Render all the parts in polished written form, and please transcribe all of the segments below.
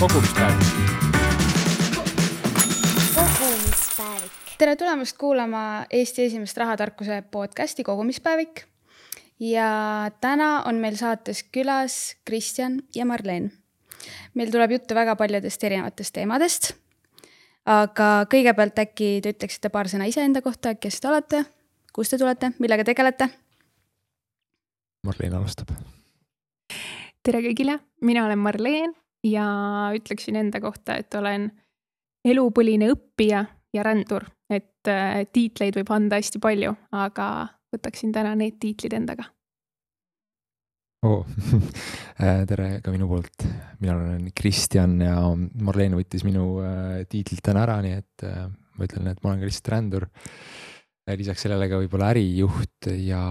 kogumispäevik. Tere tulemast kuulama Eesti esimest rahatarkuse podcasti Kogumispäevik. Ja täna on meil saates külas Kristjan ja Marleen. Meil tuleb juttu väga paljudest erinevatest teemadest. Aga kõigepealt äkki te ütleksite paar sõna iseenda kohta, kes te olete, kust te tulete, millega tegelete? Marleen alustab. Tere kõigile, mina olen Marleen ja ütleksin enda kohta, et olen elupõline õppija ja rändur, et tiitleid võib anda hästi palju, aga võtaksin täna need tiitlid endaga. Tere ka minu poolt. Mina olen Kristjan ja Marleen võttis minu tiitlit täna ära, nii et ma ütlen, et ma olen ka lihtsalt rändur. Lisaks sellele ka võib-olla ärijuht ja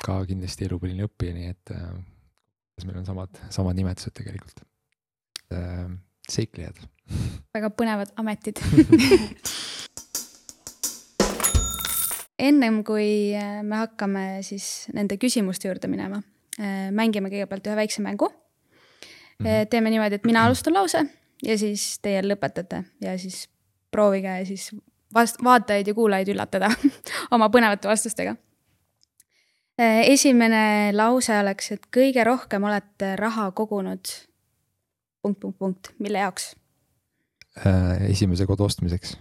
ka kindlasti elupõline õppija, nii et meil on samad nimetused tegelikult. Seiklejad. Väga põnevad ametid. Ennem kui me hakkame siis nende küsimuste juurde minema, mängime kõigepealt ühe väikse mängu. Teeme niimoodi, et mina alustan lause ja siis teie lõpetate ja siis proovige siis vaatajaid ja kuulajaid üllatada oma põnevate vastustega. Esimene lause oleks, et kõige rohkem olete raha kogunud ... Mille jaoks? Esimese kodu ostmiseks.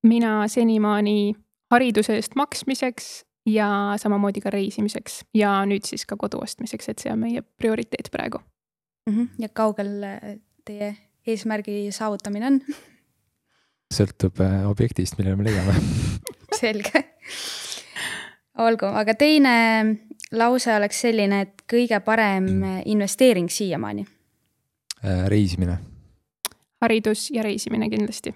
Mina senimaani hariduse eest maksmiseks ja samamoodi ka reisimiseks ja nüüd siis ka kodu ostmiseks, et see on meie prioriteet praegu. Ja kaugel teie eesmärgi saavutamine on? Sõltub objektist, millele me leiame. Selge. Olgu, aga teine lause oleks selline, et kõige parem investeering siiamaani. Reisimine. Haridus ja reisimine kindlasti.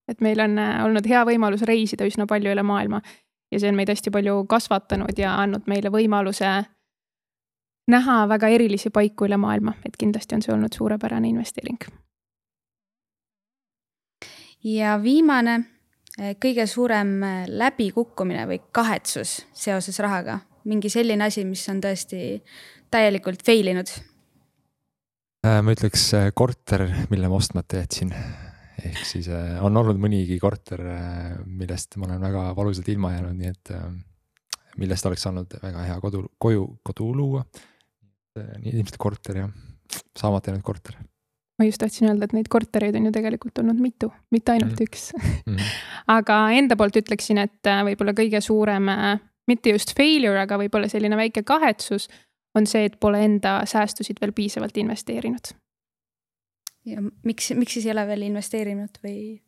Et meil on olnud hea võimalus reisida üsna palju üle maailma ja see on meid hästi palju kasvatanud ja andnud meile võimaluse näha väga erilisi paiku üle maailma, et kindlasti on see olnud suurepärane investeering. Ja viimane, kõige suurem läbikukkumine või kahetsus seoses rahaga. Mingi selline asi, mis on tõesti täielikult feilinud. Ma ütleks korter, mille ma ostmata jätsin. Ehk siis on olnud mõnigi korter, millest ma olen väga valusalt ilma jäänud, nii et millest oleks saanud väga hea kodu luua. Nii ilmselt korter ja saamata jäänud korter. Ma just tahtsin öelda, et neid kortereid on ju tegelikult olnud mitu, mitte ainult üks. Aga enda poolt ütleksin, et võib-olla kõige suurem, mitte just failure, aga võib-olla selline väike kahetsus on see, et pole enda säästusid veel piisavalt investeerinud. Ja miks siis ei ole veel investeerinud või?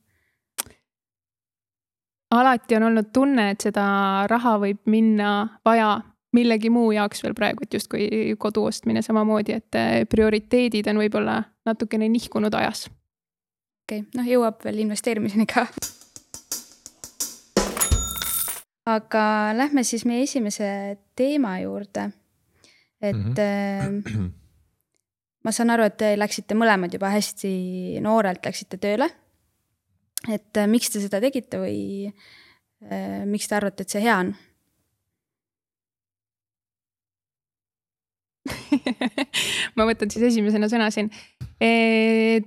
Alati on olnud tunne, et seda raha võib minna vaja millegi muu jaoks veel praegu, et just kui kodu ostmine samamoodi, et prioriteedid on võib-olla natukene nihkunud ajas. Okei, jõuab veel investeerimiseni ka. Aga lähme siis meie esimese teema juurde. Et ma saan aru, et te läksite mõlemad juba hästi noorelt, läksite tööle. Et miks te seda tegite või miks te arvate, et see hea on? Ma võtan siis esimesena sõna siin.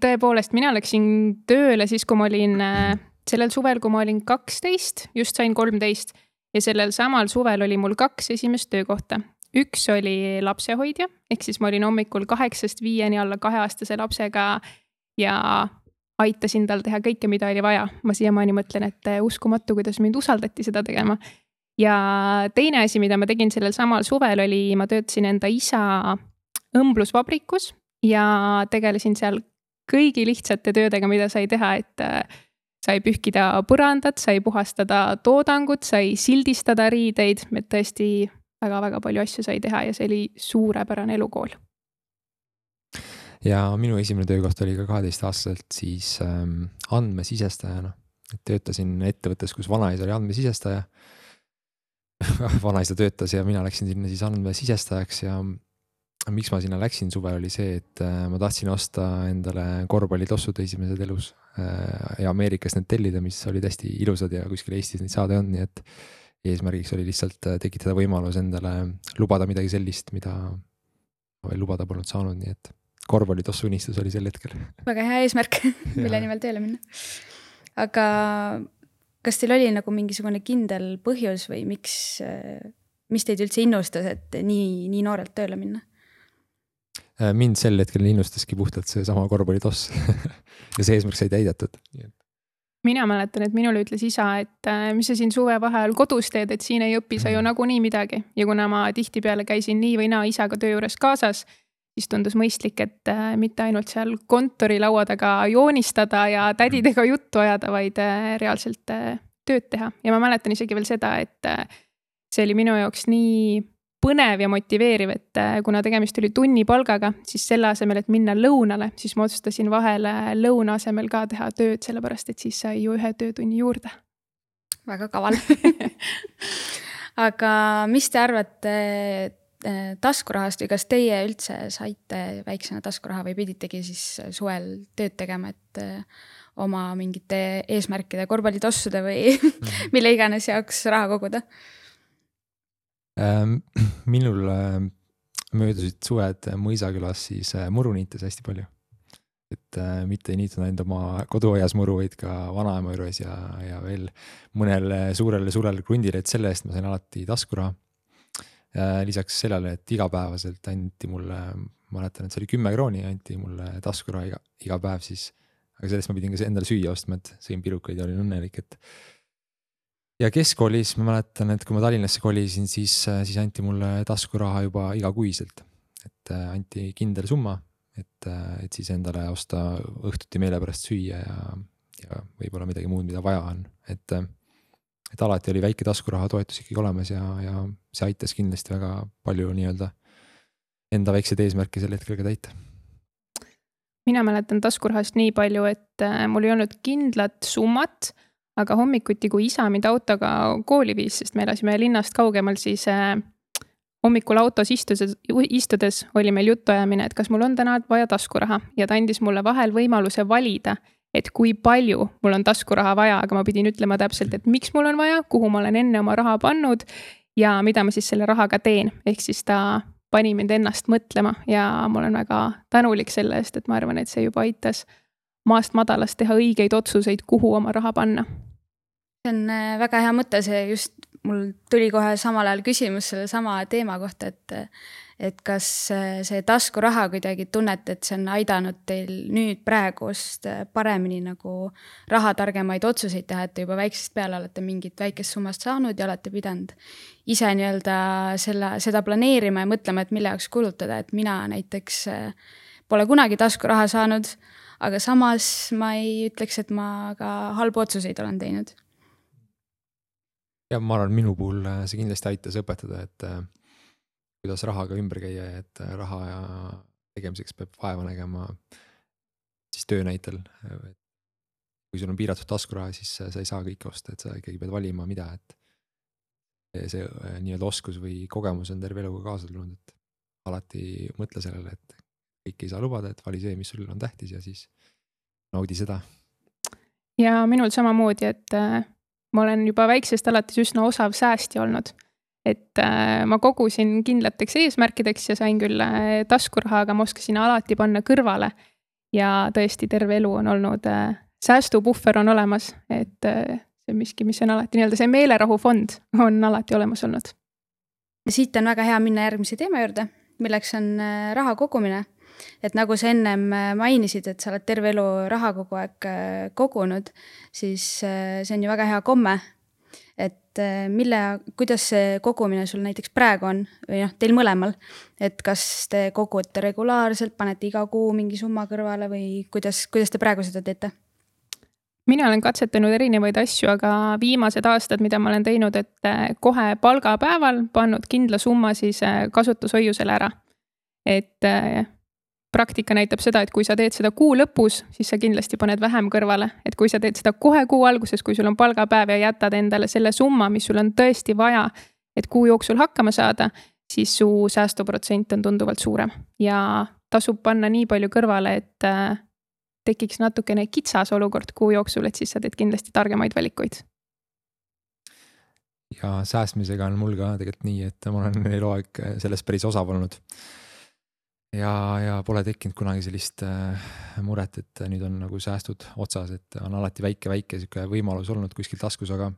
Tõepoolest, mina läksin tööle siis, kui ma olin sellel suvel, kui ma olin 12, just sain 13 ja sellel samal suvel oli mul 2 esimest töökohta. Üks oli lapsehoidja, ehk siis ma olin hommikul 8-5 alla 2-aastase lapsega ja aitasin tal teha kõike, mida oli vaja. Ma siiamaani mõtlen, et uskumatu, kuidas mind usaldati seda tegema. Ja teine asi, mida ma tegin sellel samal suvel oli, ma töötasin enda isa õmblusvabrikus ja tegelesin seal kõigi lihtsate töödega, mida sai teha, et sai pühkida põrandat, sai puhastada toodangut, sai sildistada riideid, et tõesti väga palju asju sai teha ja see oli suurepärane elukool. Ja minu esimene töökoht oli ka 12-aastaselt siis andmesisestajana. Töötasin ettevõttes, kus vanaisa oli andmesisestaja. Vanaisa töötas ja mina läksin sinna siis andmesisestajaks ja miks ma sinna läksin suvel oli see, et ma tahtsin osta endale korvpallitossud esimesed elus ja Ameerikas need tellida, mis olid hästi ilusad ja kuskil Eestis neid saada on, nii et eesmärgiks oli lihtsalt tekitada võimalus endale lubada midagi sellist, mida veel lubada polnud saanud, nii et korvpallitossu unistus oli sel hetkel. Väga hea eesmärk, mille nimel tööle minna. Aga kas teil oli nagu mingisugune kindel põhjus või mis teid üldse innustas, et nii noorelt tööle minna? Mind sel hetkel innustaski puhtalt see sama korvpallitoss ja see eesmärk sai täidetud. Mina mäletan, et minule ütles isa, et mis sa siin suve vaheajal kodus teed, et siin ei õpi sa ju nagunii midagi. Ja kuna ma tihtipeale käisin nii või naa isaga töö juures kaasas, siis tundus mõistlik, et mitte ainult seal kontorilaua taga joonistada ja tädidega juttu ajada, vaid reaalselt tööd teha. Ja ma mäletan isegi veel seda, et see oli minu jaoks nii põnev ja motiveeriv, et kuna tegemist oli tunnipalgaga, siis selle asemel, et minna lõunale, siis ma otsustasin vahele lõuna asemel ka teha tööd, sellepärast et siis sai ju 1 töötunni juurde. Väga kaval. Aga mis te arvate taskurahast või kas teie üldse saite väiksena taskuraha või piditegi siis suvel tööd tegema, et oma mingite eesmärkide, korvpallitossude või mille iganes jaoks raha koguda? Minul möödusid suved Mõisakülas siis muru niites hästi palju. Et mitte ei niitnud ainult oma koduaias muru, vaid ka vanaema juures ja veel mõnel suurel krundil, et selle eest ma sain alati taskuraha. Lisaks sellele, et igapäevaselt anti mulle, ma mäletan, et see oli 10 krooni, anti mulle taskuraha iga päev siis, aga sellest ma pidin ka endale süüa ostma, et sõin pirukaid ja olin õnnelik, et ja keskkoolis ma mäletan, et kui ma Tallinnasse kolisin, siis anti mulle taskuraha juba igakuiselt, et anti kindel summa, et siis endale osta õhtuti meele pärast süüa ja võib-olla midagi muud, mida vaja on, et alati oli väike taskuraha toetus ikkagi olemas ja see aitas kindlasti väga palju nii-öelda enda väikseid eesmärke sel hetkel ka täita. Mina mäletan taskurahast nii palju, et mul ei olnud kindlat summat, aga hommikuti, kui isa mind autoga kooli viis, sest me elasime linnast kaugemal, siis hommikul autos istudes oli meil juttuajamine, et kas mul on täna vaja taskuraha ja ta andis mulle vahel võimaluse valida, et kui palju mul on taskuraha vaja, aga ma pidin ütlema täpselt, et miks mul on vaja, kuhu ma olen enne oma raha pannud ja mida ma siis selle rahaga teen. Ehk siis ta pani mind ennast mõtlema ja ma olen väga tänulik selle eest, et ma arvan, et see juba aitas maast madalast teha õigeid otsuseid, kuhu oma raha panna. See on väga hea mõte, see just mul tuli kohe samal ajal küsimus selle sama teema kohta, et kas see taskuraha kuidagi tunnete, et see on aidanud teil nüüd praegust paremini nagu rahatargemaid otsuseid teha, et te juba väiksest peale olete mingit väikest summast saanud ja olete pidanud ise nii-öelda seda planeerima ja mõtlema, et mille jaoks kulutada, et mina näiteks pole kunagi taskuraha saanud, aga samas ma ei ütleks, et ma ka halbu otsuseid olen teinud. Ja ma arvan, minu puhul see kindlasti aitas õpetada, et kuidas rahaga ümber käia, et raha ja tegemiseks peab vaeva nägema siis töö näitel. Kui sul on piiratud taskuraha, siis sa ei saa kõike osta, et sa ikkagi pead valima mida, et see nii-öelda oskus või kogemus on terve eluga kaasa tulnud, et alati mõtle sellele, et kõik ei saa lubada, et vali see, mis sul on tähtis ja siis naudi seda. Ja minul samamoodi, et ma olen juba väiksest alates üsna osav säästja olnud, et ma kogusin kindlateks eesmärkideks ja sain küll taskuraha, aga ma oskasin alati panna kõrvale ja tõesti terve elu on olnud säästupuhver on olemas, et see miski, mis on alati nii-öelda see meelerahufond on alati olemas olnud. Ja siit on väga hea minna järgmise teema juurde, milleks on raha kogumine. Et nagu sa ennem mainisid, et sa oled terve elu raha kogu aeg kogunud, siis see on ju väga hea komme, et kuidas see kogumine sul näiteks praegu on või teil mõlemal, et kas te kogute regulaarselt, panete iga kuu mingi summa kõrvale või kuidas te praegu seda teete? Mina olen katsetanud erinevaid asju, aga viimased aastad, mida ma olen teinud, et kohe palgapäeval pannud kindla summa siis kasutushoiusele ära, et praktika näitab seda, et kui sa teed seda kuu lõpus, siis sa kindlasti paned vähem kõrvale. Et kui sa teed seda kohe kuu alguses, kui sul on palgapäev ja jätad endale selle summa, mis sul on tõesti vaja, et kuu jooksul hakkama saada, siis su säästuprotsent on tunduvalt suurem. Ja tasub panna nii palju kõrvale, et tekiks natukene kitsas olukord kuu jooksul, et siis sa teed kindlasti targemaid valikuid. Ja säästmisega on mul ka tegelikult nii, et ma olen eluaeg selles päris osav olnud. ja pole tekkinud kunagi sellist muret, et nüüd on nagu säästud otsas, et on alati väike sihuke võimalus olnud kuskil taskus, aga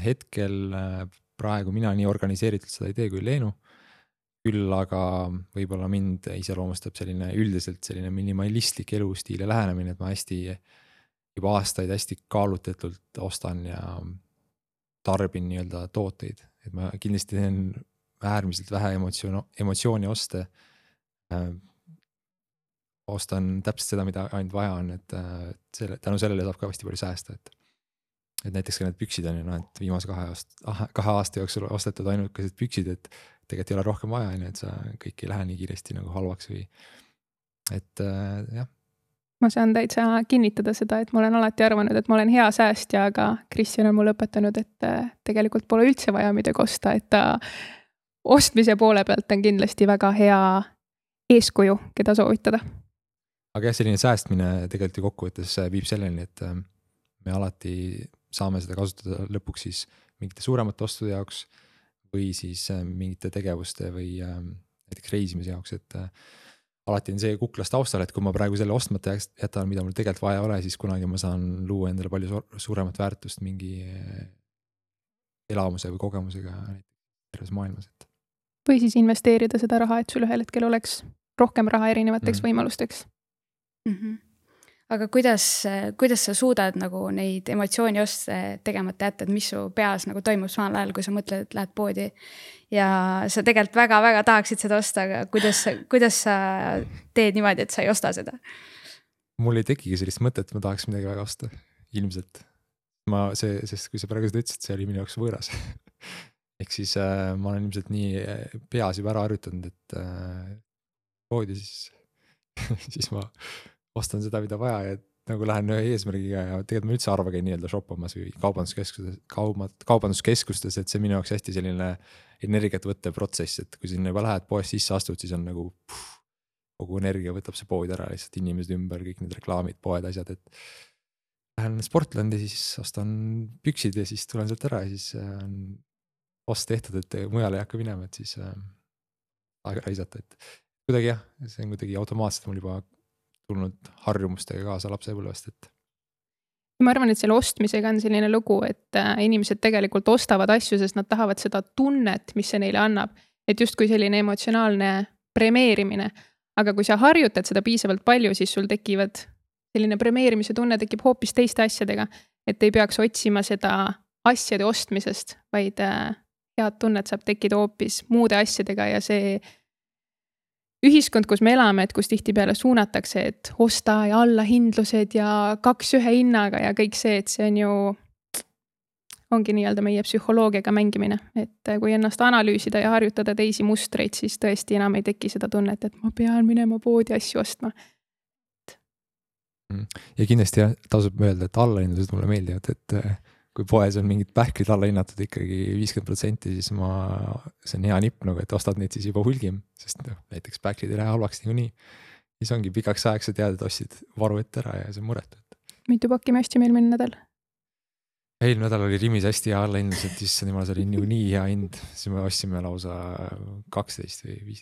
hetkel praegu mina nii organiseeritud seda ei tee kui Leenu. Küll aga võib-olla mind iseloomustab üldiselt selline minimalistlik elustiil ja lähenemine, et ma juba aastaid hästi kaalutletult ostan ja tarbin nii-öelda tooteid, et ma kindlasti teen äärmiselt vähe emotsiooni oste. Ostan täpselt seda, mida ainult vaja on, et tänu sellele saab ka hästi palju säästa, et näiteks ka need püksid on ju, et viimase 2 aasta jooksul ostetud ainukesed püksid, et tegelikult ei ole rohkem vaja, et sa kõik ei lähe nii kiiresti nagu halvaks või et jah. Ma saan täitsa kinnitada seda, et ma olen alati arvanud, et ma olen hea säästja, aga Kristjan on mulle õpetanud, et tegelikult pole üldse vaja midagi osta, et ta ostmise poole pealt on kindlasti väga hea eeskuju, keda soovitada. Aga jah, selline säästmine tegelikult ju kokkuvõttes viib selleni, et me alati saame seda kasutada lõpuks siis mingite suuremate ostude jaoks või siis mingite tegevuste või näiteks reisimise jaoks, et alati on see kuklas taustal, et kui ma praegu selle ostmata jätan, mida mul tegelikult vaja ole, siis kunagi ma saan luua endale palju suuremat väärtust mingi elamuse või kogemusega terves maailmas. Või siis investeerida seda raha, et sul ühel hetkel oleks rohkem raha erinevateks võimalusteks. Aga kuidas sa suudad nagu neid emotsiooni oste tegemata jätta, et mis su peas nagu toimub samal ajal, kui sa mõtled, et lähed poodi ja sa tegelikult väga-väga tahaksid seda osta, aga kuidas sa teed niimoodi, et sa ei osta seda? Mul ei tekigi sellist mõtet, et ma tahaks midagi väga osta, ilmselt. Sest kui sa praegu seda ütlesid, see oli minu jaoks võõras. Ehk siis ma olen ilmselt nii peas juba ära harjutanud, et poodi siis ma ostan seda, mida vaja ja nagu lähen ühe eesmärgiga ja tegelikult ma üldse arva käin nii-öelda shoppamas või kaubanduskeskustes, et see minu jaoks hästi selline energiat võttev protsess, et kui sinna juba lähed poest sisse astud, siis on nagu kogu energia võtab see pood ära, lihtsalt inimesed ümber, kõik need reklaamid, poed, asjad, et lähen Sportlandi, siis ostan püksid ja siis tulen sealt ära ja siis ost tehtud, et mujale ei hakka minema, et siis aega raisata, et kuidagi jah, see on kuidagi automaatselt mul juba tulnud harjumustega kaasa lapsepõlvest, et ma arvan, et selle ostmisega on selline lugu, et inimesed tegelikult ostavad asju, sest nad tahavad seda tunnet, mis see neile annab, et justkui selline emotsionaalne premeerimine, aga kui sa harjutad seda piisavalt palju, siis sul tekivad selline premeerimise tunne tekib hoopis teiste asjadega, et ei peaks otsima seda asjade ostmisest, vaid head tunnet saab tekkida hoopis muude asjadega ja see ühiskond, kus me elame, et kus tihtipeale suunatakse, et osta ja allahindlused ja 2 ühe hinnaga ja kõik see, et see on ju, ongi nii-öelda meie psühholoogiaga mängimine, et kui ennast analüüsida ja harjutada teisi mustreid, siis tõesti enam ei teki seda tunnet, et ma pean minema poodi asju ostma. Ja kindlasti tasub öelda, et allahindlused mulle meeldivad, et kui poes on mingid pähklid alla hinnatud ikkagi 50%, siis see on hea nipp, nagu, et ostad neid siis juba hulgim, sest näiteks pähklid ei lähe halvaks niikuinii. Siis ongi pikaks ajaks sa tead, et ostsid varu ette ära ja see on muretu. Mitu pakki me ostsime eelmine nädal? Eelmine nädal oli Rimis hästi hea allahindlus, et siis niimoodi oli nii hea hind, siis me ostsime lausa 12 või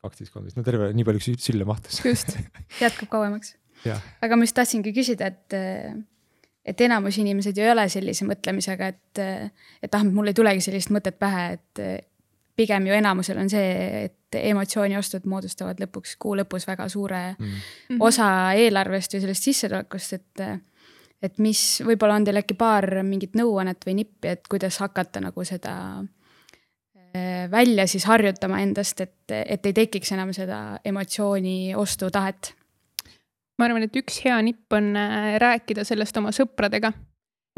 12-13, no terve nii palju sülle mahtus. Just, jätkub kauemaks. Ja. Aga ma just tahtsingi küsida, et enamus inimesed ju ei ole sellise mõtlemisega, et mul ei tulegi sellist mõtet pähe, et pigem ju enamusel on see, et emotsiooniostud moodustavad lõpuks kuu lõpus väga suure osa eelarvest või sellest sissetulekust, et mis võib-olla on teil äkki paar mingit nõuannet või nippi, et kuidas hakata nagu seda välja siis harjutama endast, et ei tekiks enam seda emotsiooni ostu tahet. Ma arvan, et üks hea nipp on rääkida sellest oma sõpradega,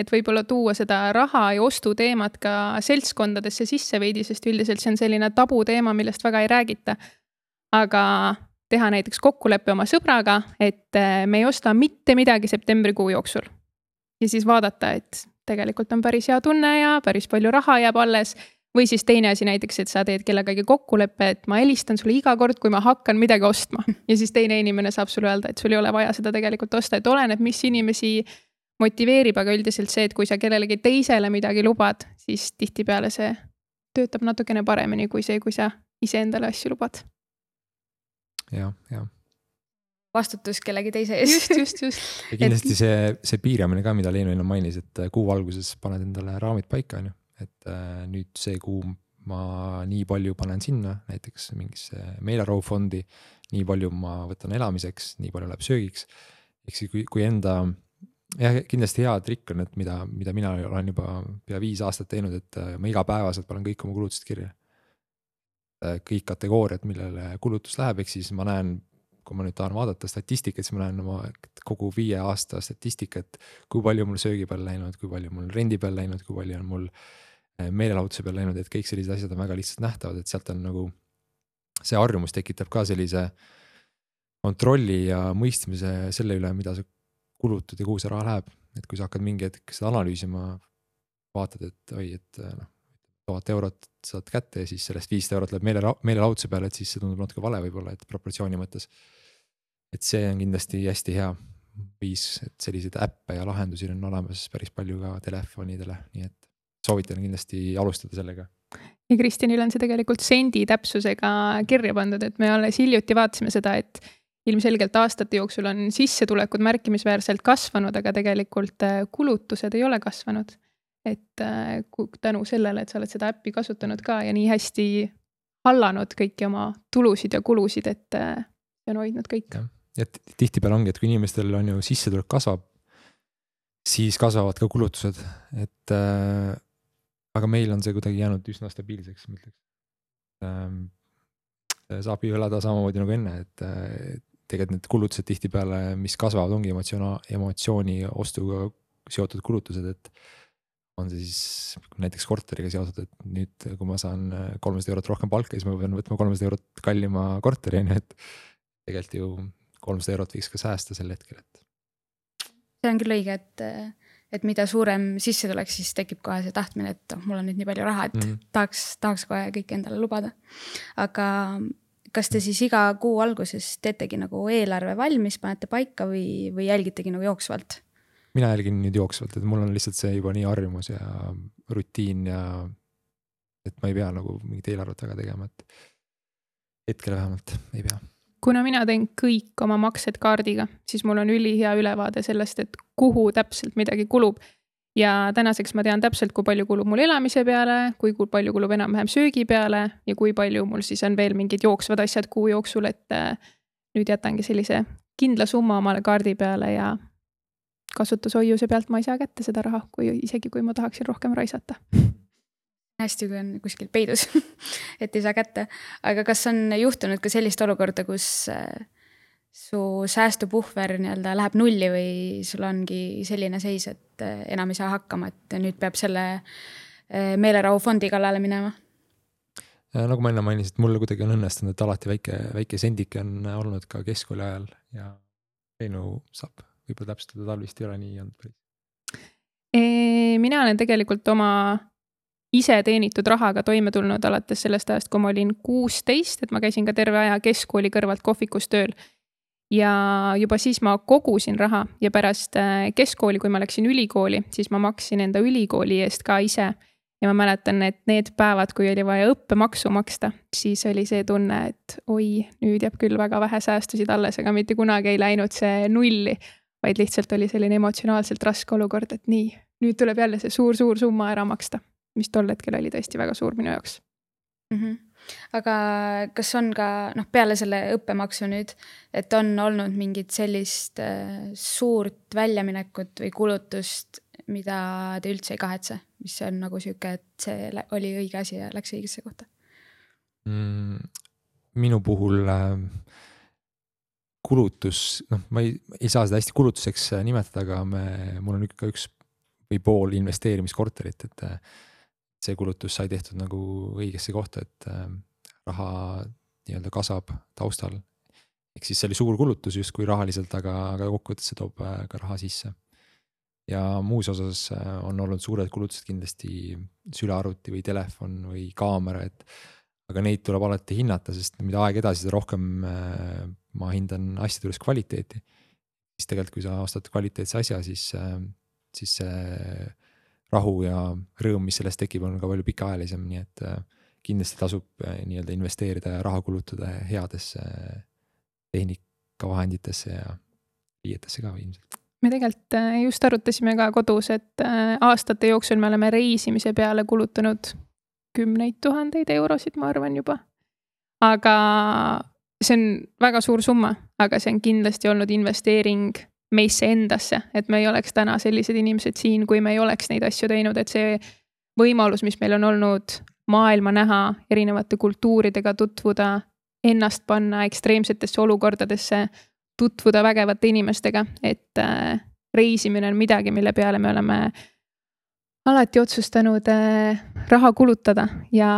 et võib-olla tuua seda raha ja ostu teemat ka seltskondadesse sisse veidi, sest üldiselt see on selline tabu teema, millest väga ei räägita. Aga teha näiteks kokkuleppe oma sõbraga, et me ei osta mitte midagi septembrikuu jooksul. Ja siis vaadata, et tegelikult on päris hea tunne ja päris palju raha jääb alles. Või siis teine asi näiteks, et sa teed kellegagi kokkuleppe, et ma helistan sulle iga kord, kui ma hakkan midagi ostma. Ja siis teine inimene saab sulle öelda, et sul ei ole vaja seda tegelikult osta, et oleneb, mis inimesi motiveerib, aga üldiselt see, et kui sa kellelegi teisele midagi lubad, siis tihtipeale see töötab natukene paremini kui see, kui sa ise endale asju lubad. jah. Vastutus kellegi teise ees. just. Ja kindlasti see piiramine ka, mida Leenu enne mainis, et kuu alguses paned endale raamid paika, on ju. Et nüüd see kuu ma nii palju panen sinna, näiteks mingisse meelerahufondi, nii palju ma võtan elamiseks, nii palju läheb söögiks. Ehk siis kui enda, kindlasti hea trikk on, et mida mina olen juba pea 5 aastat teinud, et ma igapäevaselt panen kõik oma kulutused kirja. Kõik kategooriad, millele kulutus läheb, ehk siis ma näen, kui ma nüüd tahan vaadata statistikat, siis ma näen oma kogu 5 aasta statistikat, kui palju mul söögi peal läinud, kui palju mul rendi peal läinud, kui palju on mul meelelahutuse peal läinud, et kõik sellised asjad on väga lihtsalt nähtavad, et sealt on nagu see harjumus tekitab ka sellise kontrolli ja mõistmise selle üle, mida sa kulutad ja kuhu see raha läheb. Et kui sa hakkad mingi hetk seda analüüsima, vaatad, et 1000 eurot saad kätte ja siis sellest 500 eurot läheb meelelahutuse peale, et siis see tundub natuke vale võib-olla, et proportsiooni mõttes. Et see on kindlasti hästi hea viis, et selliseid äppe ja lahendusi on olemas päris palju ka telefonidele, nii et soovitan kindlasti alustada sellega. Ja Kristjanil on see tegelikult sendi täpsusega kirja pandud, et me alles hiljuti vaatasime seda, et ilmselgelt aastate jooksul on sissetulekud märkimisväärselt kasvanud, aga tegelikult kulutused ei ole kasvanud. Et tänu sellele, et sa oled seda äppi kasutanud ka ja nii hästi hallanud kõiki oma tulusid ja kulusid, et see on hoidnud kõik. Ja tihtipeale ongi, et kui inimestel on ju sissetulek kasvab, siis kasvavad ka kulutused, et aga meil on see kuidagi jäänud üsna stabiilseks, ma ütleks. Saab ju elada samamoodi nagu enne, et tegelikult need kulutused tihtipeale, mis kasvavad, ongi emotsiooni ostuga seotud kulutused, et on see siis näiteks korteriga seotud, et nüüd kui ma saan 300 eurot rohkem palka, siis ma pean võtma 300 eurot kallima korteri, et tegelikult ju 300 eurot võiks ka säästa sel hetkel. See on küll õige, et mida suurem sissetulek, siis tekib kohe see tahtmine, et mul on nüüd nii palju raha, et tahaks kohe kõik endale lubada. Aga kas te siis iga kuu alguses teetegi nagu eelarve valmis, panete paika või jälgitegi nagu jooksvalt? Mina jälgin nüüd jooksvalt, et mul on lihtsalt see juba nii harjumus ja rutiin ja et ma ei pea nagu mingit eelarvet väga tegema, et hetkel vähemalt ei pea. Kuna mina teen kõik oma maksed kaardiga, siis mul on ülihea ülevaade sellest, et kuhu täpselt midagi kulub. Ja tänaseks ma tean täpselt, kui palju kulub mul elamise peale, kui palju kulub enam-vähem söögi peale ja kui palju mul siis on veel mingid jooksvad asjad kuu jooksul, et nüüd jätangi sellise kindla summa omale kaardi peale ja kasutushoiuse pealt ma ei saa kätte seda raha, isegi kui ma tahaksin rohkem raisata. Hästi, kui on kuskil peidus, et ei saa kätte. Aga kas on juhtunud ka sellist olukorda, kus su säästupuhver nii-öelda läheb nulli või sul ongi selline seis, et enam ei saa hakkama, et nüüd peab selle meelerahufondi kallale minema? Nagu ma enne mainisin, et mulle kuidagi on õnnestunud, et alati väike sendike on olnud ka keskkooli ajal ja Leenu saab võib-olla täpsustada, tal vist ei ole nii olnud. Mina olen tegelikult oma ise teenitud rahaga toime tulnud alates sellest ajast, kui ma olin 16, et ma käisin ka terve aja keskkooli kõrvalt kohvikus tööl. Ja juba siis ma kogusin raha ja pärast keskkooli, kui ma läksin ülikooli, siis ma maksin enda ülikooli eest ka ise. Ja ma mäletan, et need päevad, kui oli vaja õppemaksu maksta, siis oli see tunne, et oi, nüüd jääb küll väga vähe säästusid alles, aga mitte kunagi ei läinud see nulli, vaid lihtsalt oli selline emotsionaalselt raske olukord, et nii, nüüd tuleb jälle see suur summa ära maksta, mis tol hetkel oli tõesti väga suur minu jaoks. Aga kas on ka peale selle õppemaksu nüüd, et on olnud mingit sellist suurt väljaminekut või kulutust, mida te üldse ei kahetse, mis on nagu süke, et see oli õige asi ja läks õigesse kohta? Minu puhul kulutus, ma ei saa seda hästi kulutuseks nimetada, aga mul on ikka üks või pool investeerimiskorterit, et see kulutus sai tehtud nagu õigesse kohta, et raha nii-öelda kasvab taustal. Ehk siis see oli suur kulutus justkui rahaliselt, aga kokkuvõttes see toob ka raha sisse. Ja muus osas on olnud suured kulutused kindlasti sülearvuti või telefon või kaamera, aga neid tuleb alati hinnata, sest mida aeg edasi, seda rohkem ma hindan asjade juures kvaliteeti. Siis tegelikult, kui sa ostad kvaliteetse asja, siis see rahu ja rõõm, mis sellest tekib, on ka palju pikaajalisem, nii et kindlasti tasub nii-öelda investeerida ja raha kulutada headesse tehnikavahenditesse ja riietesse ka ilmselt. Me tegelikult just arutasime ka kodus, et aastate jooksul me oleme reisimise peale kulutanud 10 000 eurosid, ma arvan juba. Aga see on väga suur summa, aga see on kindlasti olnud investeering meisse endasse, et me ei oleks täna sellised inimesed siin, kui me ei oleks neid asju teinud, et see võimalus, mis meil on olnud maailma näha, erinevate kultuuridega tutvuda, ennast panna ekstreemsetesse olukordadesse, tutvuda vägevate inimestega, et reisimine on midagi, mille peale me oleme alati otsustanud raha kulutada ja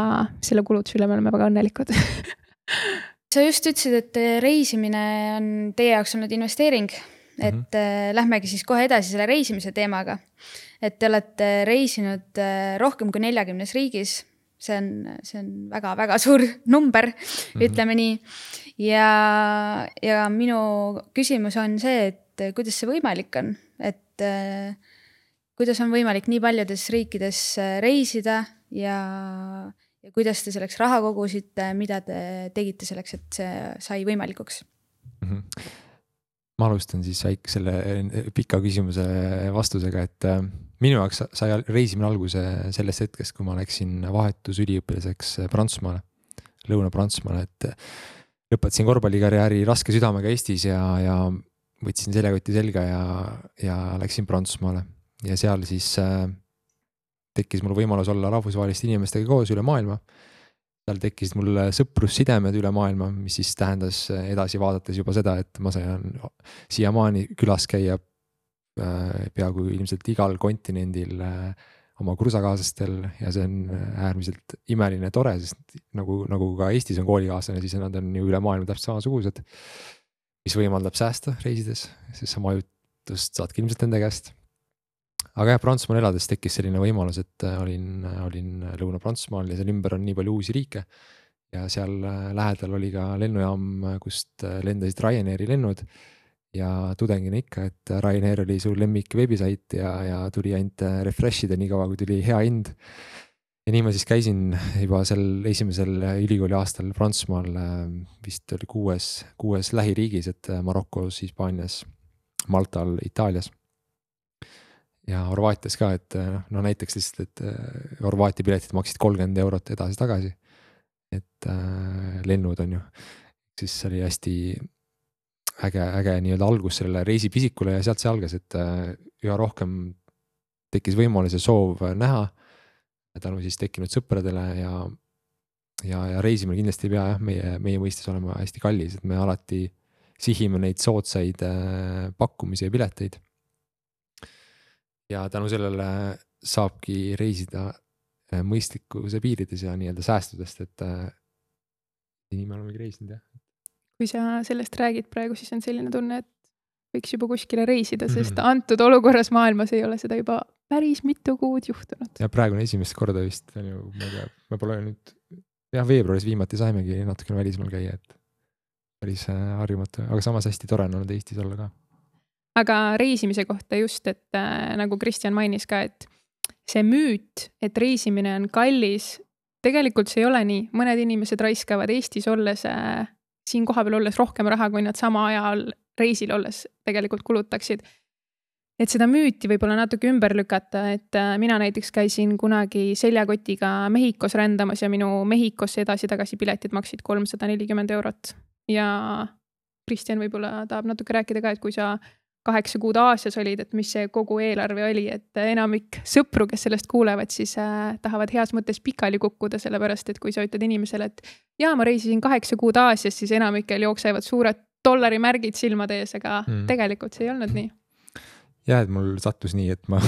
selle kulutuse üle me oleme väga õnnelikud. Sa just ütlesid, et reisimine on teie jaoks olnud investeering, et lähmegi siis kohe edasi selle reisimise teemaga. Et te olete reisinud rohkem kui 40 riigis. See on väga-väga suur number, ütleme nii. Ja minu küsimus on see, et kuidas see võimalik on, et kuidas on võimalik nii paljudes riikides reisida ja kuidas te selleks raha kogusite, mida te tegite selleks, et see sai võimalikuks? Ma alustan siis väike selle pika küsimuse vastusega, et minu jaoks sai reisimine alguse sellest hetkest, kui ma läksin vahetusüliõpilaseks Prantsusmaale, Lõuna-Prantsusmaale, et lõpetasin korvpallikarjääri raske südamega Eestis ja võtsin seljakoti selga ja läksin Prantsusmaale. Ja seal siis tekkis mul võimalus olla rahvusvaheliste inimestega koos üle maailma. Seal tekkis mul sõprussidemed üle maailma, mis siis tähendas edasi vaadates juba seda, et ma sain siiamaani külas käia peaaegu ilmselt igal kontinendil oma kursakaaslastel ja see on äärmiselt imeline ja tore, sest nagu ka Eestis on koolikaaslane, siis nad on ju üle maailma täpselt samasugused, mis võimaldab säästa reisides, siis sama ajutust saadki ilmselt nende käest. Aga Prantsusmaal elades tekkis selline võimalus, et olin Lõuna-Prantsusmaal ja seal ümber on nii palju uusi riike ja seal lähedal oli ka lennujaam, kust lendasid Ryanairi lennud ja tudengina ikka, et Ryanair oli su lemmik webisait ja tuli ainult refreshida nii kaua, kui tuli hea hind. Ja nii ma siis käisin juba sel esimesel ülikooli aastal Prantsusmaal, vist oli kuues lähiriigis, et Marokos, Hispaanias, Maltal, Itaalias. Ja Horvaatias ka, et näiteks lihtsalt, et Horvaatia piletid maksid 30 eurot edasi-tagasi, et lennud on ju, siis oli hästi äge nii-öelda algus sellele reisipisikule ja sealt see algas, et üha rohkem tekkis võimalus ja soov näha tänu siis tekkinud sõpradele ja reisimine kindlasti ei pea meie mõistes olema hästi kallis, et me alati sihime neid soodsaid pakkumisi ja pileteid. Ja tänu sellele saabki reisida mõistlikkuse piirides ja nii-öelda säästudest, et nii me olemegi reisinud, jah. Kui sa sellest räägid praegu, siis on selline tunne, et võiks juba kuskile reisida, sest antud olukorras maailmas ei ole seda juba päris mitu kuud juhtunud. Ja praegu on esimest korda vist, me pole nüüd, veebruaris viimati saimegi natukene välismaal käia, et päris harjumatu, aga samas hästi tore on olnud Eestis olla ka. Aga reisimise kohta just, et nagu Kristjan mainis ka, et see müüt, et reisimine on kallis, tegelikult see ei ole nii. Mõned inimesed raiskavad Eestis olles, siin kohapeal olles rohkem raha, kui nad sama ajal reisil olles tegelikult kulutaksid. Et seda müüti võib-olla natuke ümber lükata, et mina näiteks käisin kunagi seljakotiga Mehhikos rändamas ja minu Mehhikosse edasi-tagasi piletid maksid 340 eurot. Ja Kristjan võib-olla tahab natuke rääkida ka, et kui sa 8 kuud Aasias olid, et mis see kogu eelarve oli, et enamik sõpru, kes sellest kuulevad, siis tahavad heas mõttes pikali kukkuda, sellepärast, et kui sa ütled inimesele, et ma reisisin 8 kuud Aasias, siis enamikel jooksevad suured dollarimärgid silmade ees, aga tegelikult see ei olnud nii. Ja, et mul sattus nii, et ma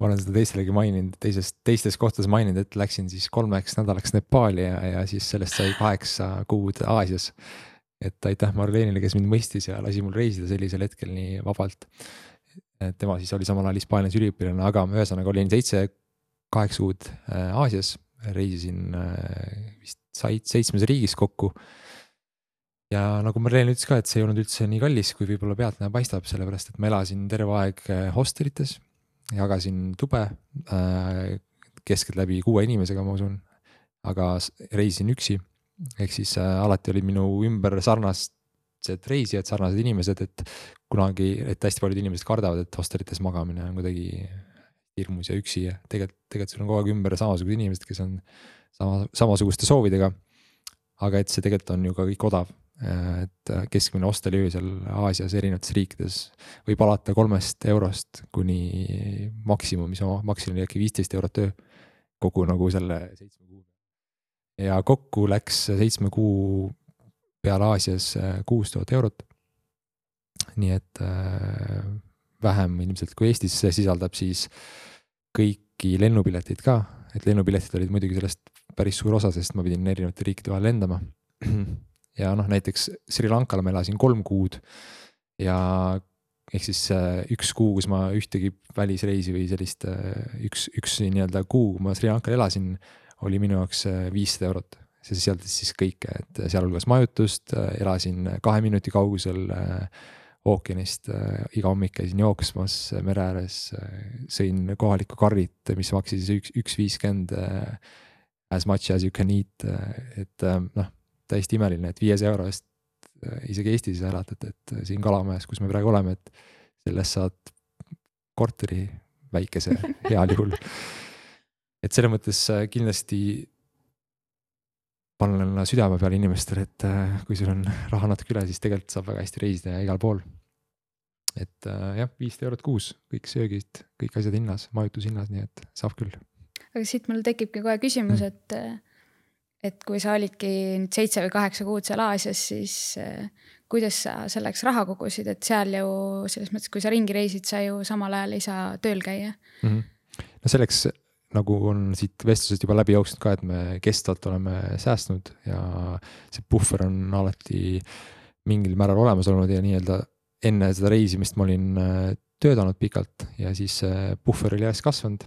olen seda teistelegi maininud, teistes kohtades maininud, et läksin siis 3 nädalaks Nepaali ja siis sellest sai 8 kuud Aasias. Et aitäh Marleenile, kes mind mõistis ja lasi mul reisida sellisel hetkel nii vabalt. Tema siis oli samal ajal Hispaanias üliõpilane, aga ühesõnaga olin 7-8 kuud Aasias, reisisin vist 7 riigis kokku. Ja nagu Marleen ütles ka, et see ei olnud üldse nii kallis, kui võib-olla pealtnäha paistab, sellepärast, et ma elasin terve aeg hostelites, jagasin tube keskelt läbi 6 inimesega, ma usun, aga reisisin üksi. Ehk siis alati oli minu ümber tüüpilised reisijad, sarnased inimesed, et hästi paljud inimesed kardavad, et hostelites magamine on kuidagi hirmus ja üksi ja tegelikult sul on kogu aeg ümber samasugused inimesed, kes on samasuguste soovidega. Aga et see tegelikult on ju ka kõik odav, et keskmine hosteliöö seal Aasias erinevates riikides võib alata 3 eurost kuni maksimum, mis maksimum oli äkki 15 eurot öö kogu nagu selle 7 kuu. Ja kokku läks 7 kuu peale Aasias 6000 eurot. Nii et vähem ilmselt kui Eestis, see sisaldab siis kõiki lennupiletid ka, et lennupiletid olid muidugi sellest päris suur osa, sest ma pidin erinevate riikide vahel lendama. Ja näiteks Sri Lankal ma elasin 3 kuud ja ehk siis 1 kuu, kus ma ühtegi välisreisi või sellist üks nii-öelda kuu, kui ma Sri Lankal elasin, oli minu jaoks 500 eurot. See sisaldas siis kõike, et sealhulgas majutust, elasin 2 minuti kaugusel ookeanist, iga hommik käisin jooksmas mere ääres, sõin kohalikku karrit, mis maksis 1.50 as much as you can eat, et täiesti imeline, et 500 euro eest isegi Eestis elatad, et siin Kalamajas, kus me praegu oleme, et sellest saad korteri väikese heal juhul. Et selles mõttes kindlasti panen südame peale inimestele, et kui sul on raha natuke üle, siis tegelikult saab väga hästi reisida ja igal pool. Et jah, 500 eurot kuus, kõik söögid, kõik asjad hinnas, majutus hinnas, nii et saab küll. Aga siit mul tekibki kohe küsimus, et kui sa olidki 7 või 8 kuud seal Aasias, siis kuidas sa selleks raha kogusid, et seal ju selles mõttes, kui sa ringi reisid, sa ju samal ajal ei saa tööl käia. No selleks nagu on siit vestlusest juba läbi jooksnud ka, et me kestvalt oleme säästnud ja see puhver on alati mingil määral olemas olnud ja nii-öelda enne seda reisimist ma olin töötanud pikalt ja siis puhver oli järjest kasvanud.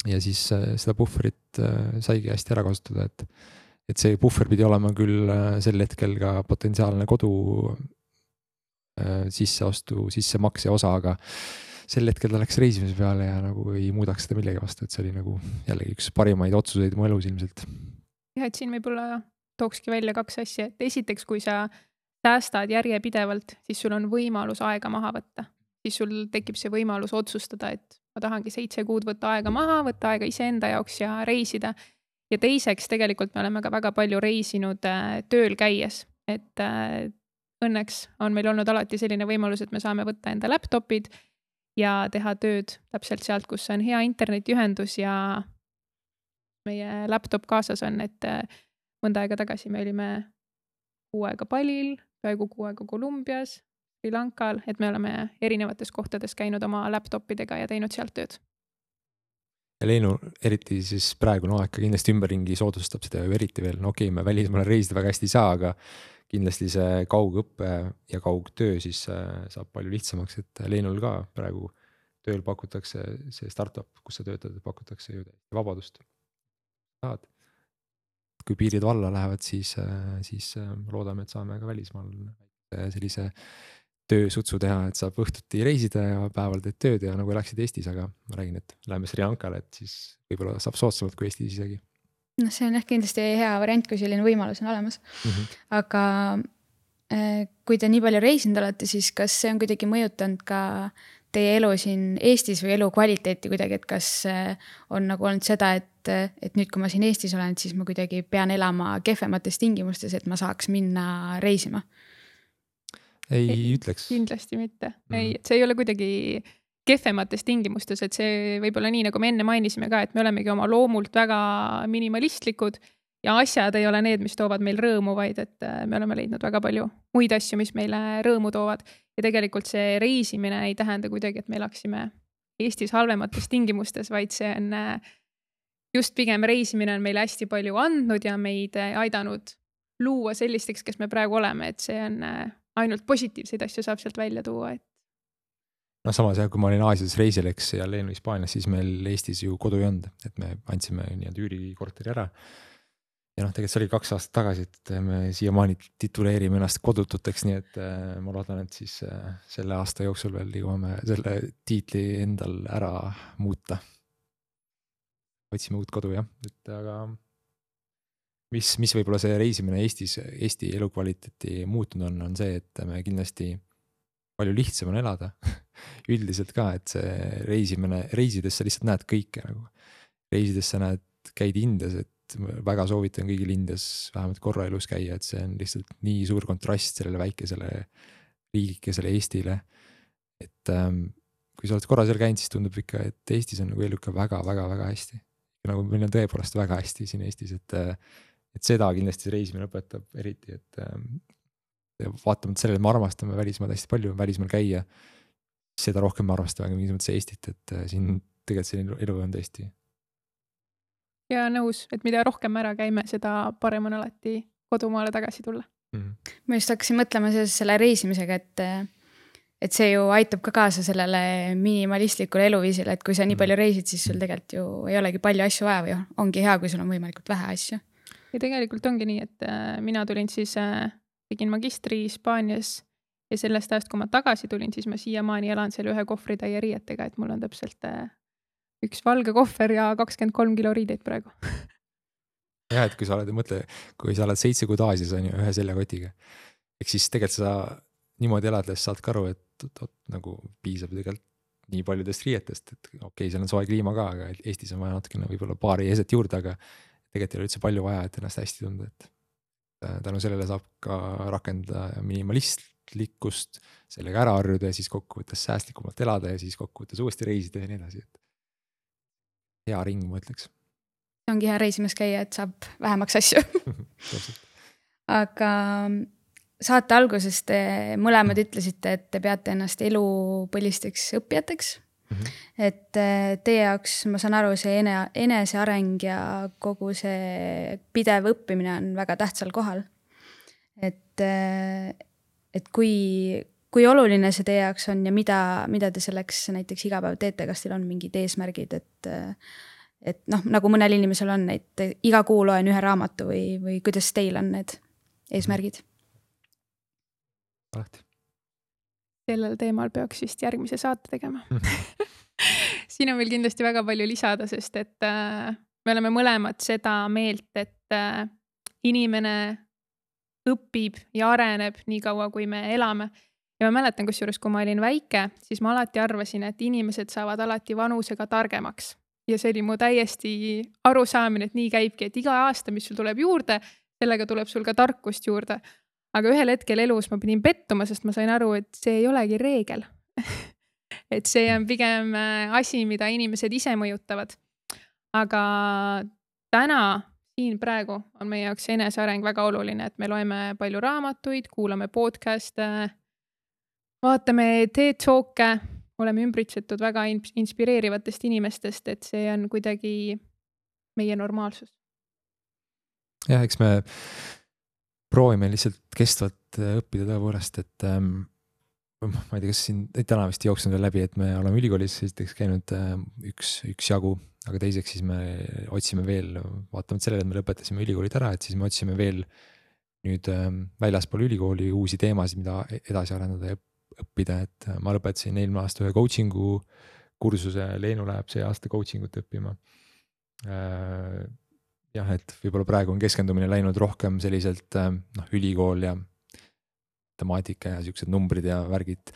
Ja siis seda puhverit saigi hästi ära kasutada, et see puhver pidi olema küll sel hetkel ka potentsiaalne kodu sissemakse osa, aga sel hetkel ta läks reisimise peale ja nagu ei muudaks seda millegi vastu, et see oli nagu jällegi üks parimaid otsuseid mu elus ilmselt. Ja et siin võib-olla tookski välja 2 asja, et esiteks, kui sa säästad järjepidevalt, siis sul on võimalus aega maha võtta. Siis sul tekib see võimalus otsustada, et ma tahangi 7 kuud võtta aega maha, võtta aega iseenda jaoks ja reisida. Ja teiseks tegelikult me oleme ka väga palju reisinud tööl käies, et õnneks on meil olnud alati selline võimalus, et me saame võtta enda laptopid ja teha tööd täpselt sealt, kus on hea internetiühendus ja meie laptop kaasas on, et mõnda aega tagasi me olime 6 aega Balil, peaaegu 6 aega Kolumbias, Sri Lankal, et me oleme erinevates kohtades käinud oma laptopidega ja teinud sealt tööd. Ja Leenu, eriti siis praegune aeg kindlasti ümberringi soodustab seda ju eriti veel. No okei, me välismaale reisida väga hästi ei saa, aga kindlasti see kaugõppe ja kaugtöö siis saab palju lihtsamaks, et Leenul ka praegu tööl pakutakse see startup, kus sa töötad, pakutakse ju vabadust. Kui piirid valla lähevad, siis loodame, et saame ka välismaal sellise töösutsu teha, et saab õhtuti reisida ja päeval teed tööd ja nagu läksid Eestis, aga ma räägin, et läheme Sri Lankale, et siis võib-olla saab soodsamalt kui Eestis isegi. No see on kindlasti hea variant, kui selline võimalus on olemas. Aga kui te nii palju reisinud olete, siis kas see on kuidagi mõjutanud ka teie elu siin Eestis või elu kvaliteeti kuidagi, et kas on nagu olnud seda, et nüüd kui ma siin Eestis olen, siis ma kuidagi pean elama kehvemates tingimustes, et ma saaks minna reisima? Ei ütleks. Kindlasti mitte. Ei, et see ei ole kuidagi kehvemates tingimustes, et see võib-olla nii, nagu me enne mainisime ka, et me olemegi oma loomult väga minimalistlikud ja asjad ei ole need, mis toovad meil rõõmu, vaid et me oleme leidnud väga palju muid asju, mis meile rõõmu toovad. Ja tegelikult see reisimine ei tähenda kuidagi, et me elaksime Eestis halvemates tingimustes, vaid see on just pigem reisimine on meile hästi palju andnud ja meid aidanud luua sellisteks, kes me praegu oleme, et see on ainult positiivseid asju saab sealt välja tuua. No samas jah, kui ma olin Aasias reisileks ja Leenu Hispaanias, siis meil Eestis ju kodu ei olnud, et me andsime nii-öelda üürikorteri ära. Ja tegelikult see oli 2 aastat tagasi, et me siiamaani tituleerime ennast kodututeks, nii et ma loodan, et siis selle aasta jooksul veel liigume selle tiitli endal ära muuta. Otsime uut kodu jah, et aga mis võib-olla see reisimine Eesti elukvaliteeti muutunud on see, et me kindlasti palju lihtsam on elada üldiselt ka, et see reisides sa lihtsalt näed kõike nagu. Reisides sa käid Indias, et väga soovitan kõigil Indias vähemalt korra elus käia, et see on lihtsalt nii suur kontrast sellele väikesele riigikesele Eestile. Et kui sa oled korra seal käinud, siis tundub ikka, et Eestis on nagu elu ikka väga hästi. Nagu meil on tõepoolest väga hästi siin Eestis, et seda kindlasti reisimine õpetab eriti, et vaatamata sellele, et me armastame välismaal hästi palju, välismaal käia, seda rohkem me armastame mingis mõttes Eestit, et siin tegelikult see elu on tõesti. Ja nõus, et mida rohkem ära käime, seda parem on alati kodumaale tagasi tulla. Ma just hakkasin mõtlema selle reisimisega, et see ju aitab ka kaasa sellele minimalistlikule eluviisile, et kui sa nii palju reisid, siis sul tegelikult ju ei olegi palju asju vaja või ongi hea, kui sul on võimalikult vähe asju. Ja tegelikult ongi nii, et mina tulin siis, tegin magistri Hispaanias ja sellest ajast, kui ma tagasi tulin, siis ma siiamaani elan seal ühe kohvritäie riietega, et mul on täpselt üks valge kohver ja 23 kilo riideid praegu. Jah, et kui sa oled 7 kuud Aasias on ju ühe seljakotiga, eks siis tegelikult sa niimoodi elades saad ka aru, et nagu piisab tegelikult nii paljudest riietest, et okei, seal on soe kliima ka, aga Eestis on vaja natukene võib-olla paari eset juurde, aga tegelikult ei ole üldse palju vaja, et ennast hästi tunda, et tänu sellele saab ka rakendada minimalistlikkust, sellega ära harjuda ja siis kokkuvõttes säästlikumalt elada ja siis kokkuvõttes uuesti reisida ja nii edasi, et hea ring, ma ütleks. Ongi hea reisimas käia, et saab vähemaks asju. Aga saate alguses te mõlemad ütlesite, et te peate ennast elupõlisteks õppijateks. Et teie jaoks, ma saan aru, see eneseareng ja kogu see pidev õppimine on väga tähtsal kohal. Et kui oluline see teie jaoks on ja mida te selleks näiteks iga päev teete, kas teil on mingid eesmärgid, et nagu mõnel inimesel on, et iga kuu loen ühe raamatu või kuidas teil on need eesmärgid? Alati. Sellel teemal peaks vist järgmise saate tegema. Siin on veel kindlasti väga palju lisada, sest et me oleme mõlemad seda meelt, et inimene õpib ja areneb nii kaua, kui me elame. Ja ma mäletan, kusjuures, kui ma olin väike, siis ma alati arvasin, et inimesed saavad alati vanusega targemaks. Ja see oli mu täiesti arusaamine, et nii käibki, et iga aasta, mis sul tuleb juurde, sellega tuleb sul ka tarkust juurde. Aga ühel hetkel elus ma pidin pettuma, sest ma sain aru, et see ei olegi reegel. Et see on pigem asi, mida inimesed ise mõjutavad. Aga täna, siin praegu on meie jaoks eneseareng väga oluline, et me loeme palju raamatuid, kuulame podcaste, vaatame TED-talke, oleme ümbritsetud väga inspireerivatest inimestest, et see on kuidagi meie normaalsus. Jah, eks me proovime lihtsalt kestvalt õppida tõepoolest, et ma ei tea, kas siin täna vist jooksnud veel läbi, et me oleme ülikoolis esiteks käinud üks jagu, aga teiseks siis me otsime veel, vaatamata sellele, et me lõpetasime ülikoolid ära, et siis me otsime veel nüüd väljaspool ülikooli uusi teemasid, mida edasi arendada ja õppida, et ma lõpetasin eelmine aasta ühe coachingu kursuse, Leenu läheb see aasta coachingut õppima. Jah, et võib-olla praegu on keskendumine läinud rohkem selliselt ülikool ja temaatika ja siuksed numbrid ja värgid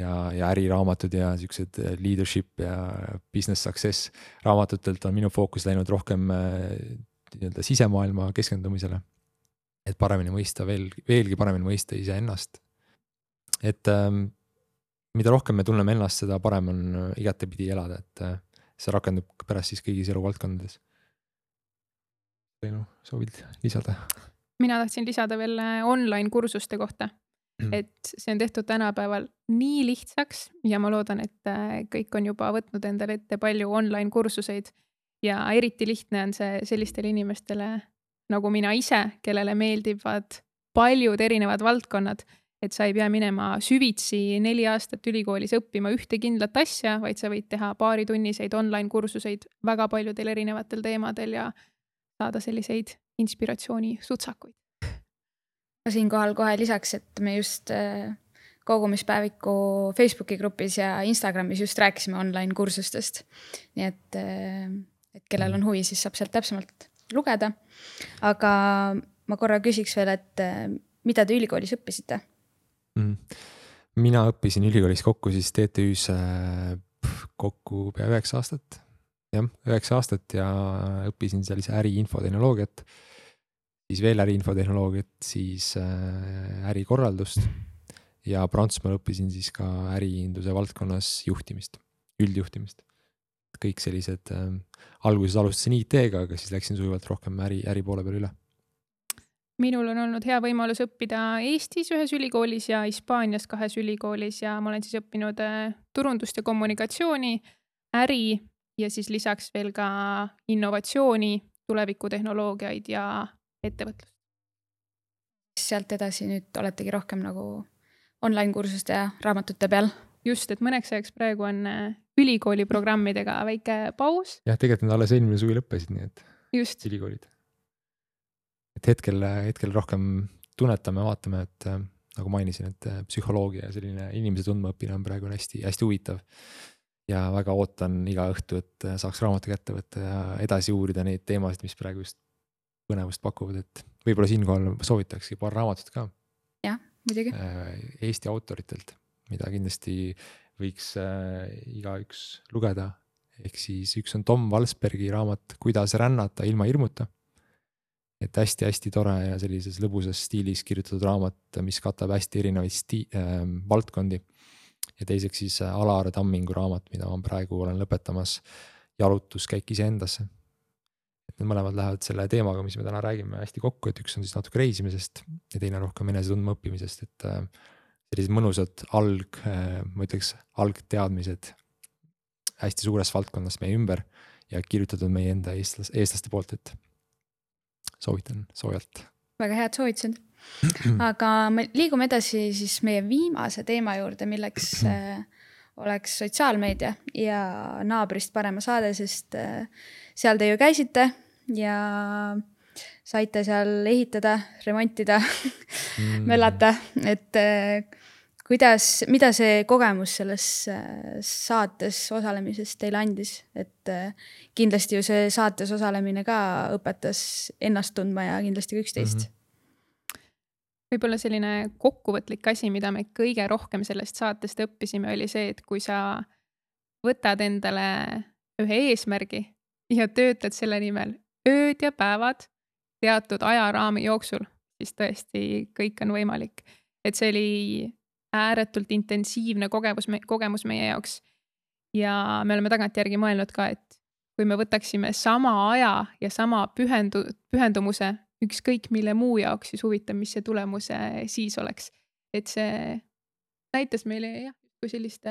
ja äriraamatud ja siuksed leadership ja business success raamatutelt on minu fookus läinud rohkem sisemaailma keskendumisele, et paremini mõista, veelgi paremini mõista iseennast. Et mida rohkem me tunneme ennast, seda parem on igatepidi elada, et see rakendub pärast siis kõigis eluvaldkondades. Soovid lisada? Mina tahtsin lisada veel online kursuste kohta, et see on tehtud tänapäeval nii lihtsaks ja ma loodan, et kõik on juba võtnud endale ette palju online kursuseid ja eriti lihtne on see sellistele inimestele nagu mina ise, kellele meeldivad paljud erinevad valdkonnad, et sa ei pea minema süvitsi 4 aastat ülikoolis õppima ühte kindlat asja, vaid sa võid teha paaritunniseid online kursuseid väga paljudel erinevatel teemadel ja saada selliseid inspiratsiooni sutsakuid. Siinkohal kohe lisaks, et me just kogumispäeviku Facebooki grupis ja Instagramis just rääkisime online kursustest. Nii et kellel on huvi, siis saab sealt täpsemalt lugeda. Aga ma korra küsiks veel, et mida te ülikoolis õppisite? Mina õppisin ülikoolis kokku siis TTÜs kokku pea 9 aastat. Jah, 9 aastat ja õppisin seal äri-infotehnoloogiat, siis veel äri-infotehnoloogiat, siis ärikorraldust ja Prantsusmaal õppisin siis ka äriinduse valdkonnas juhtimist, üldjuhtimist. Kõik sellised, alguses alustasin IT-ga, aga siis läksin sujuvalt rohkem äri poole peale üle. Minul on olnud hea võimalus õppida Eestis ühes ülikoolis ja Hispaanias 2 ülikoolis ja ma olen siis õppinud turundust ja kommunikatsiooni, äri ja siis lisaks veel ka innovatsiooni, tulevikutehnoloogiaid ja ettevõtlust. Sealt edasi nüüd oletegi rohkem nagu online-kursuste ja raamatute peal. Just, et mõneks ajaks praegu on ülikooli programmidega väike paus. Jah, tegelikult nad alles eelmine suvi lõppesid, nii et just ülikoolid. Et hetkel rohkem tunnetame, vaatame, et nagu mainisin, et psühholoogia ja selline inimese tundmaõppine on praegu hästi huvitav. Ja väga ootan iga õhtu, et saaks raamatu kätte võtta ja edasi uurida neid teemasid, mis praegu just põnevust pakuvad, et võib-olla siinkohal soovitakski paar raamatut ka. Jah, muidugi. Eesti autoritelt, mida kindlasti võiks igaüks lugeda. Ehk siis üks on Tom Valsbergi raamat Kuidas rännata ilma hirmuta. Et hästi tore ja sellises lõbusas stiilis kirjutatud raamat, mis katab hästi erinevaid valdkondi. Ja teiseks siis Alar Tammingu raamat, mida ma praegu olen lõpetamas, Jalutuskäik iseendasse. Et need mõlemad lähevad selle teemaga, mis me täna räägime, hästi kokku, et üks on siis natuke reisimisest ja teine rohkem enesetundma õppimisest, et sellised mõnusad ma ütleks algteadmised hästi suures valdkonnas meie ümber ja kirjutatud meie enda eestlaste poolt, et soovitan soojalt. Väga head soovitused. Aga me liigume edasi siis meie viimase teema juurde, milleks oleks sotsiaalmeedia ja Naabrist parema saade, sest seal te ju käisite ja saite seal ehitada, remontida, möllata, et mida see kogemus selles saates osalemisest teile andis, et kindlasti ju see saates osalemine ka õpetas ennast tundma ja kindlasti ka üksteist. Võib-olla selline kokkuvõtlik asi, mida me kõige rohkem sellest saatest õppisime, oli see, et kui sa võtad endale ühe eesmärgi ja töötad selle nimel ööd ja päevad teatud ajaraami jooksul, siis tõesti kõik on võimalik. Et see oli ääretult intensiivne kogemus meie jaoks. Ja me oleme tagantjärgi mõelnud ka, et kui me võtaksime sama aja ja sama pühendumuse ükskõik mille muu jaoks, siis huvitav, mis see tulemuse siis oleks. Et see näitas meile kui sellist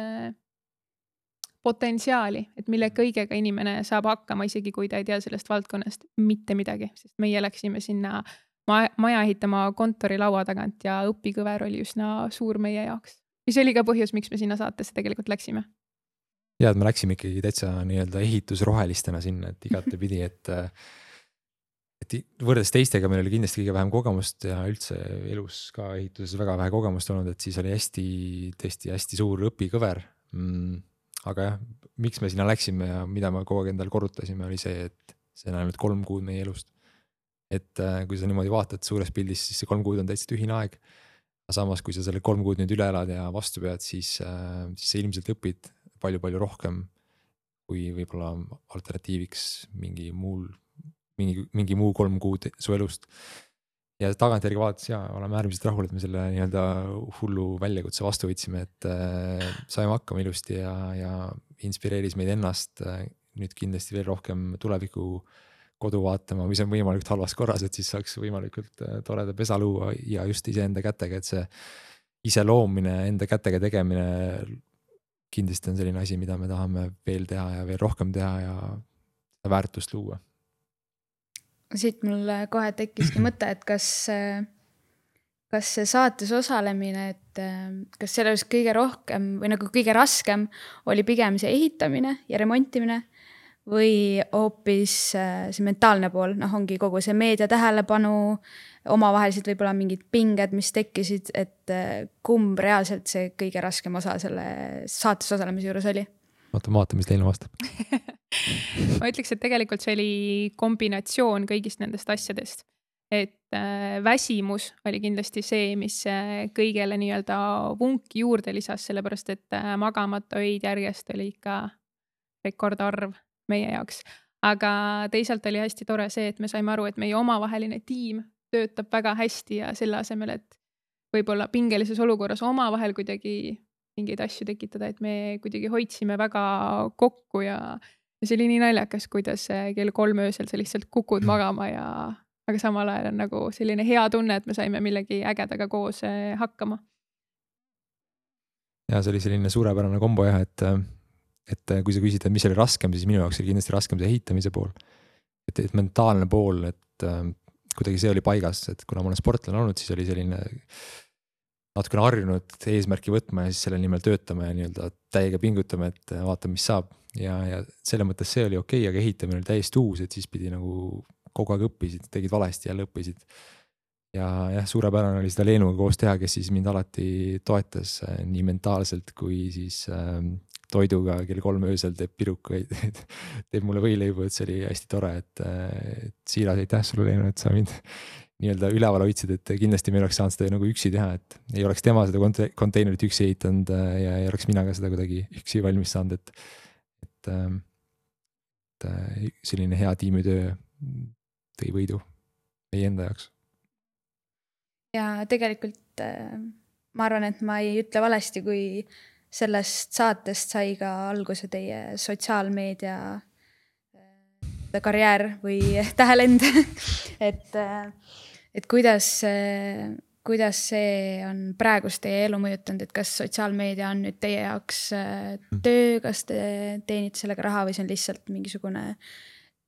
potentsiaali, et mille kõigega inimene saab hakkama, isegi kui ta ei tea sellest valdkonnast mitte midagi, sest meie läksime sinna maja ehitama kontori laua tagant ja õpikõver oli üsna suur meie jaoks. Ja see oli ka põhjus, miks me sinna saatesse tegelikult läksime. Ja, et me läksime ikkagi täitsa nii-öelda ehitusrohelistena sinna, et igate pidi, et võrdes teistega meil oli kindlasti kõige vähem kogemust ja üldse elus ka ehituses väga vähe kogemust olnud, et siis oli tõesti hästi suur õpikõver. Aga jah, miks me sinna läksime ja mida me kogu aeg endal korrutasime, oli see, et see on ainult 3 kuud meie elust. Et kui sa niimoodi vaatad suures pildis, siis see 3 kuud on täitsa tühine aeg. Samas, kui sa selle 3 kuud nüüd üle elad ja vastu pead, siis sa ilmselt õpid palju rohkem kui võib-olla alternatiiviks mingi muu 3 kuud su elust. Ja tagantjärgi vaadates oleme äärmiselt rahul, et me selle nii-öelda hullu väljakutse vastu võtsime, et saime hakkama ilusti ja inspireeris meid ennast nüüd kindlasti veel rohkem tuleviku kodu vaatama, mis on võimalikult halvas korras, et siis saaks võimalikult toreda pesa luua ja just iseenda kätega, et see ise loomine, enda kätega tegemine kindlasti on selline asi, mida me tahame veel teha ja veel rohkem teha ja väärtust luua. Siit mul kohe tekkiski mõte, et kas see saates osalemine, et kas selles kõige rohkem või nagu kõige raskem oli pigem see ehitamine ja remontimine või hoopis see mentaalne pool, ongi kogu see meedia tähelepanu, omavahelised võib-olla mingid pinged, mis tekkisid, et kumb reaalselt see kõige raskem osa selle saates osalemise juures oli? Vaata, mis teile vastab. ma ütleks, et tegelikult see oli kombinatsioon kõigist nendest asjadest. Et väsimus oli kindlasti see, mis kõigele nii-öelda vunki juurde lisas, sellepärast et magamata öid järjest oli ikka rekordarv meie jaoks. Aga teisalt oli hästi tore see, et me saime aru, et meie omavaheline tiim töötab väga hästi ja selle asemel, et võib-olla pingelises olukorras omavahel kuidagi mingeid asju tekitada, et me kuidagi hoidsime väga kokku ja see oli nii naljakas, kuidas kell 3 öösel sa lihtsalt kukud magama aga samal ajal on nagu selline hea tunne, et me saime millegi ägedaga koos hakkama. Ja see oli selline suurepärane kombo jah, et kui sa küsid, et mis oli raskem, siis minu jaoks oli kindlasti raskem see ehitamise pool. Et mentaalne pool, et kuidagi see oli paigas, et kuna ma olen sportlane olnud, siis oli selline natukene harjunud eesmärki võtma ja siis selle nimel töötama ja nii-öelda täiega pingutama, et vaatame, mis saab. Ja selle mõttes see oli okei, aga ehitamine oli täiesti uus, et siis pidi nagu kogu aeg õppisid, tegid valesti jälle õppisid. Ja jah, suurepärane oli seda Leenuga koos teha, kes siis mind alati toetas nii mentaalselt kui siis toiduga kell 3 öösel teeb pirukaid, teeb mulle võileibu, et see oli hästi tore, et siiras aitäh sulle, Leenu, et sa mind nii-öelda üleval hoidsid, et kindlasti me oleks saanud seda nagu üksi teha, et ei oleks tema seda konteinerit üksi ehitanud ja ei oleks mina ka seda kuidagi üksi valmis saanud, et selline hea tiimitöö tõi võidu meie enda jaoks. Ja tegelikult ma arvan, et ma ei ütle valesti, kui sellest saatest sai ka alguse teie sotsiaalmeedia karjäär või tähelend, et kuidas see on praegust teie elu mõjutanud, et kas sotsiaalmeedia on nüüd teie jaoks töö, kas te teenite sellega raha või see on lihtsalt mingisugune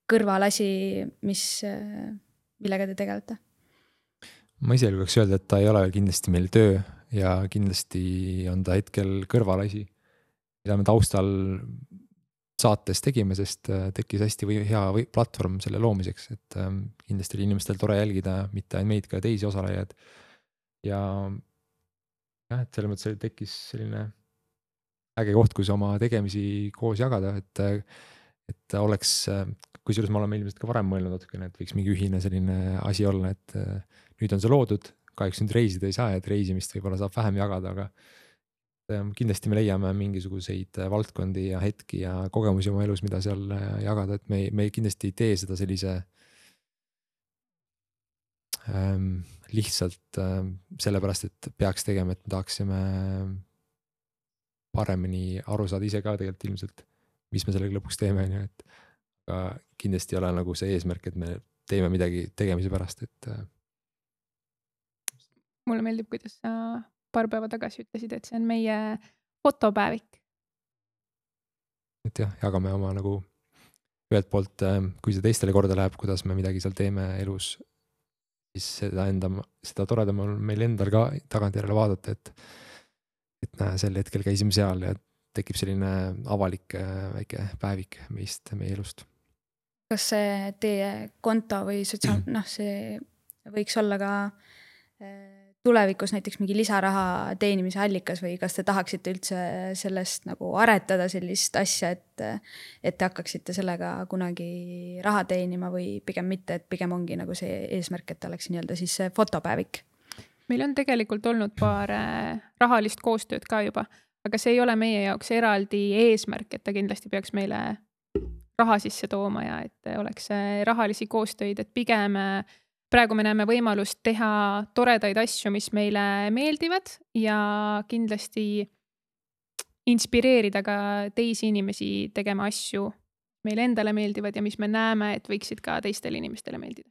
kõrvalasi, millega te tegelete? Ma ise julgeks öelda, et ta ei ole kindlasti meil töö ja kindlasti on ta hetkel kõrvalasi, mida me taustal saates tegime, sest tekkis hästi hea platvorm selle loomiseks, et kindlasti oli inimestel tore jälgida mitte ainult meid, ka teisi osalejaid. Ja et selles mõttes tekkis selline äge koht, kus oma tegemisi koos jagada, et oleks, kusjuures ma olen ilmselt ka varem mõelnud natukene, et võiks mingi ühine selline asi olla, et nüüd on see loodud, kahjuks nüüd reisida ei saa, et reisimist võib-olla saab vähem jagada, aga kindlasti me leiame mingisuguseid valdkondi ja hetki ja kogemusi oma elus, mida seal jagada, et me kindlasti ei tee seda sellise lihtsalt sellepärast, et peaks tegema, et me tahaksime paremini aru saada ise ka tegelikult ilmselt, mis me sellega lõpuks teeme, et aga kindlasti ei ole nagu see eesmärk, et me teeme midagi tegemise pärast, et mulle meeldib, kuidas sa paar päeva tagasi ütlesid, et see on meie fotopäevik. Et jah, jagame oma nagu ühelt poolt, kui see teistele korda läheb, kuidas me midagi seal teeme elus, siis seda toredam on meil endal ka tagantjärele vaadata, et näe, sel hetkel käisime seal ja tekib selline avalik väike päevik meist, meie elust. Kas see teie konto või see võiks olla ka tulevikus näiteks mingi lisaraha teenimise allikas või kas te tahaksite üldse sellest nagu aretada sellist asja, et te hakkaksite sellega kunagi raha teenima või pigem mitte, et pigem ongi nagu see eesmärk, et oleks nii-öelda siis fotopäevik? Meil on tegelikult olnud paar rahalist koostööd ka juba, aga see ei ole meie jaoks eraldi eesmärk, et ta kindlasti peaks meile raha sisse tooma ja et oleks rahalisi koostöid, et pigem praegu me näeme võimalust teha toredaid asju, mis meile meeldivad ja kindlasti inspireerida ka teisi inimesi tegema asju, meile endale meeldivad ja mis me näeme, et võiksid ka teistele inimestele meeldida.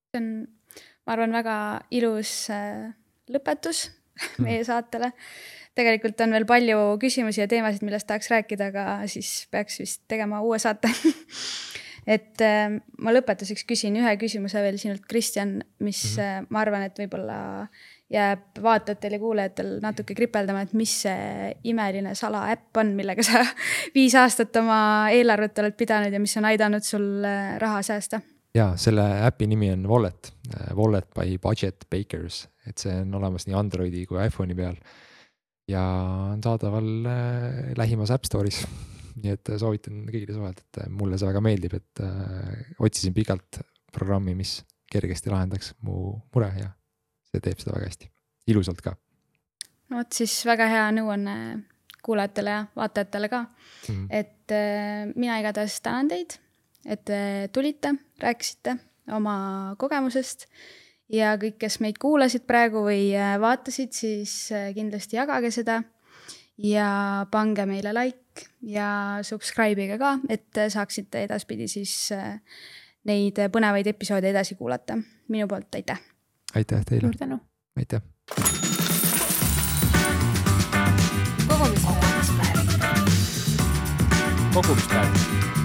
See on, ma arvan, väga ilus lõpetus meie saatele. Tegelikult on veel palju küsimusi ja teemasid, millest tahaks rääkida, aga siis peaks vist tegema uue saate. Et ma lõpetuseks küsin ühe küsimuse veel sinult, Kristjan, mis ma arvan, et võib-olla jääb vaatajatel ja kuulajatel natuke kripeldama, et mis see imeline salaäpp on, millega sa 5 aastat oma eelarvet oled pidanud ja mis on aidanud sul raha säästa? Ja selle äpi nimi on Wallet, Wallet by Budget Bakers, et see on olemas nii Androidi kui iPhone'i peal ja on saadaval lähimas App Store'is nii et soovitan kõigile suhelda, et mulle see väga meeldib, et otsisin pikalt programmi, mis kergesti lahendaks mu mure ja see teeb seda väga hästi, ilusalt ka. No vot siis väga hea nõuanne kuulajatele ja vaatajatele ka, et mina igatahes tänan teid, et te tulite, rääkisite oma kogemusest ja kõik, kes meid kuulasid praegu või vaatasid, siis kindlasti jagage seda ja pange meile like ja subscribe'ige ka, et saaksite edaspidi siis neid põnevaid episoode edasi kuulata. Minu poolt aitäh! Aitäh teile! Suur tänu! Aitäh! Kogumispäev. Kogumispäev.